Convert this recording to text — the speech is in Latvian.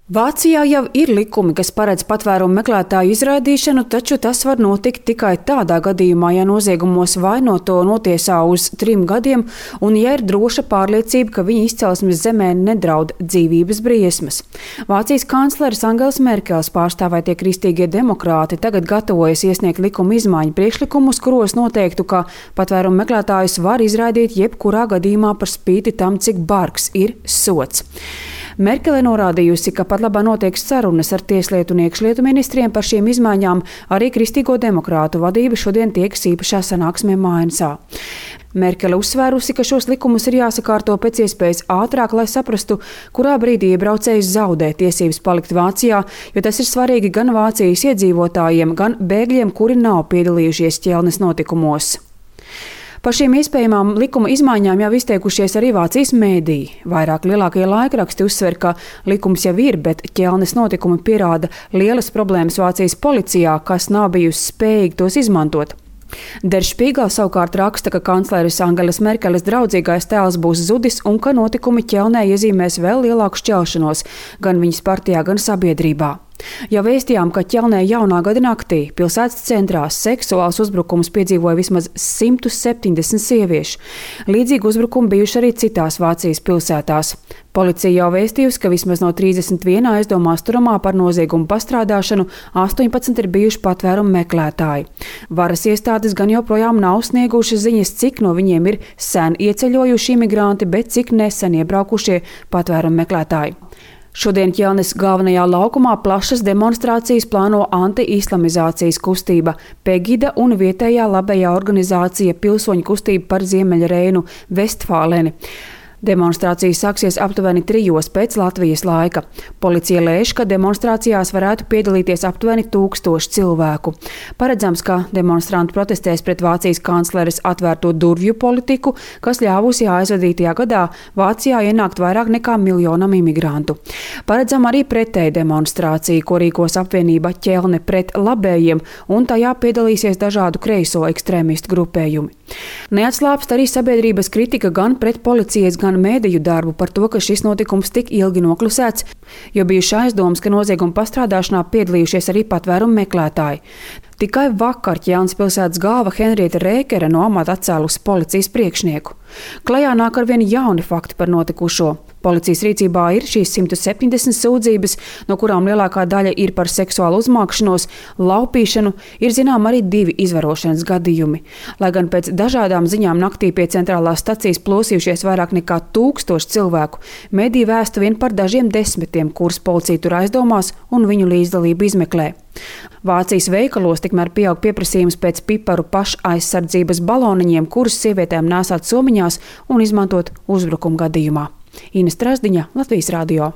Vācijā jau ir likumi, kas paredz patvērumu meklētāju izraidīšanu, taču tas var notikt tikai tādā gadījumā, ja noziegumos vainoto notiesā uz 3 gadiem un ja ir droša pārliecība, ka viņa izcelsmes zemē nedraud dzīvības briesmas. Vācijas kancleres Angels Merkels pārstāvētie kristīgie demokrāti tagad gatavojas iesniegt likuma izmaiņu priekšlikumus, kuros noteiktu, ka patvērumu meklētājus var izraidīt jebkurā gadījumā par spīti tam, cik bargs ir sods. Merkele norādījusi, ka pat labā notiek sarunas ar tieslietu un iekšlietu ministriem par šīm izmaiņām, arī kristīgo demokrātu vadība šodien tiekas īpašā sanāksmē Mainzā. Merkele uzsvērusi, ka šos likumus ir jāsakārto pēc iespējas ātrāk, lai saprastu, kurā brīdī iebraucējs zaudē tiesības palikt Vācijā, jo tas ir svarīgi gan Vācijas iedzīvotājiem, gan bēgļiem, kuri nav piedalījušies ķelnes notikumos. Par šīm iespējamām likuma izmaiņām jau izteikušies arī Vācijas mēdīji. Vairāk lielākie laikraksti uzsver, ka likums jau ir, bet ķelnes notikumi pierāda lielas problēmas Vācijas policijā, kas nav bijusi spējīga tos izmantot. Der Spiegel savukārt raksta, ka kancleres Angelas Merkeles draudzīgais tēls būs zudis un ka notikumi ķelnē iezīmēs vēl lielāku šķelšanos gan viņas partijā, gan sabiedrībā. Jau vēstījām, ka ķelnē jaunā gada naktī pilsētas centrā seksuāls uzbrukums piedzīvoja vismaz 170 sieviešu. Līdzīgi uzbrukumi bijuši arī citās Vācijas pilsētās. Policija jau vēstījusi, ka vismaz no 31 aizdomās turamā par noziegumu pastrādāšanu 18 ir bijuši patvērumu meklētāji. Varas iestādes gan joprojām nav sniegušas ziņas, cik no viņiem ir sen ieceļojuši imigranti, bet cik nesen iebraukušie patvērumu meklētāji. Šodien ķelnes galvenajā laukumā plašas demonstrācijas plāno anti-islamizācijas kustība Pegida un vietējā labējā organizācija Pilsoņu kustība par Ziemeļreinu Vestfāleni. Demonstrācijas sāksies aptuveni 3 pēc Latvijas laika. Policija lēš, ka demonstrācijās varētu piedalīties aptuveni 1000 cilvēku. Paredzams, ka demonstranti protestēs pret Vācijas kancleres atvērto durvju politiku, kas ļāvusi aizvadītajā gadā Vācijā ienākt vairāk nekā 1 miljonam imigrantu. Paredzam arī pretēju demonstrāciju, ko rīkos apvienība Ķelne pret labējiem, un tajā piedalīsies dažādu kreiso ekstrēmistu grupējumi. Neatslāpst arī sabiedrības kritika gan pret policijas, gan mēdīju darbu par to, ka šis notikums tik ilgi noklusēts, jo bijuši aizdomas, ka nozieguma pastrādāšanā piedalījušies arī patvērumu meklētāji. Tikai vakar Ķelnes pilsētas galva Henrieta Rēkere no amata atcēlusi policijas priekšnieku. Klajā nāk arvien jauni fakti par notikušo. Policijas rīcībā ir šīs 170 sūdzības, no kurām lielākā daļa ir par seksuālu uzmākšanos, laupīšanu, ir zinām arī 2 izvarošanas gadījumi. Lai gan pēc dažādām ziņām naktī pie centrālās stacijas plosījušies vairāk nekā 1000 cilvēku, mediji vēsta vien par dažiem desmitiem, kurus policija tur aizdomās un viņu līdzdalību izmeklē. Vācijas veikalos tikmēr pieaug pieprasījums pēc piparu pašaizsardzības baloniņiem, kurus sievietēm nēsāt somiņās un izmantot uzbrukuma gadījumā. Ines Trasdiņa, Latvijas radio.